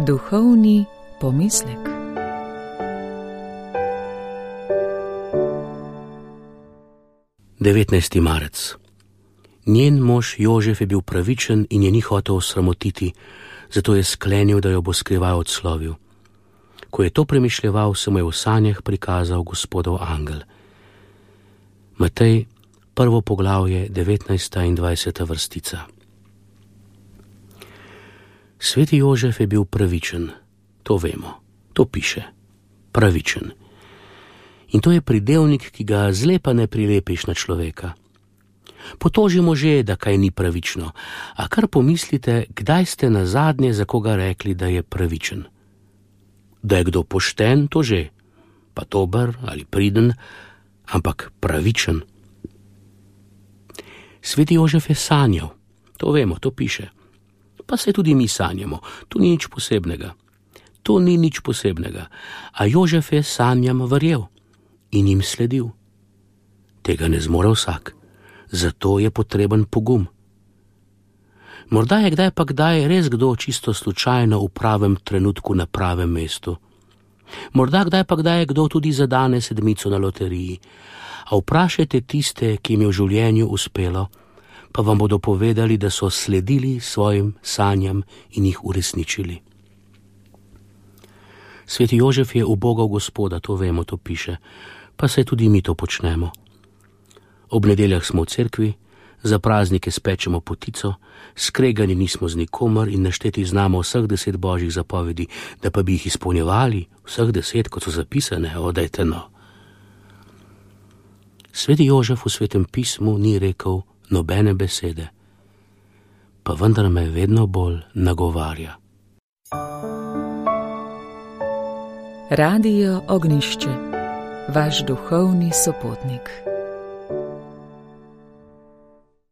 Duhovni pomislek. Devetnajsti marec. Njen mož Jožef je bil pravičen in je ni hotel osramotiti, zato je sklenil, da jo bo skrivaj odslovil. Ko je to premišljeval, se mu je v sanjah prikazal Gospodov angel. Matej, 1. poglavje, 19. in 20. vrstica. Sveti Jožef je bil pravičen, to vemo, to piše, pravičen. In to je pridevnik, ki ga zlepa ne prilepiš na človeka. Potožimo že, da kaj ni pravično, a kar pomislite, kdaj ste nazadnje za koga rekli, da je pravičen. Da je kdo pošten, to že, pa dober ali priden, ampak pravičen. Sveti Jožef je sanjal, to vemo, to piše. Pa se tudi mi sanjamo, to ni nič posebnega. To ni nič posebnega, a Jožef je sanjam verjel in jim sledil. Tega ne zmore vsak, zato je potreben pogum. Morda je kdaj pa kdaj res kdo čisto slučajno v pravem trenutku na pravem mestu. Morda kdaj pa kdaj je kdo tudi zadane sedmico na loteriji, a vprašajte tiste, ki jim je v življenju uspelo, pa vam bodo povedali, da so sledili svojim sanjam in jih uresničili. Sveti Jožef je ubogal Gospoda, to vemo, to piše, pa se tudi mi to počnemo. Ob nedeljah smo v cerkvi, za praznike spečemo potico, skregani nismo z nikomer in našteti znamo vseh 10 božjih zapovedi, da pa bi jih izpolnjevali, vseh 10, kot so zapisane, odajte no. Sveti Jožef v Svetem pismu ni rekel nobene besede, pa vendar me vedno bolj nagovarja. Radio Ognjišče, vaš duhovni sopotnik.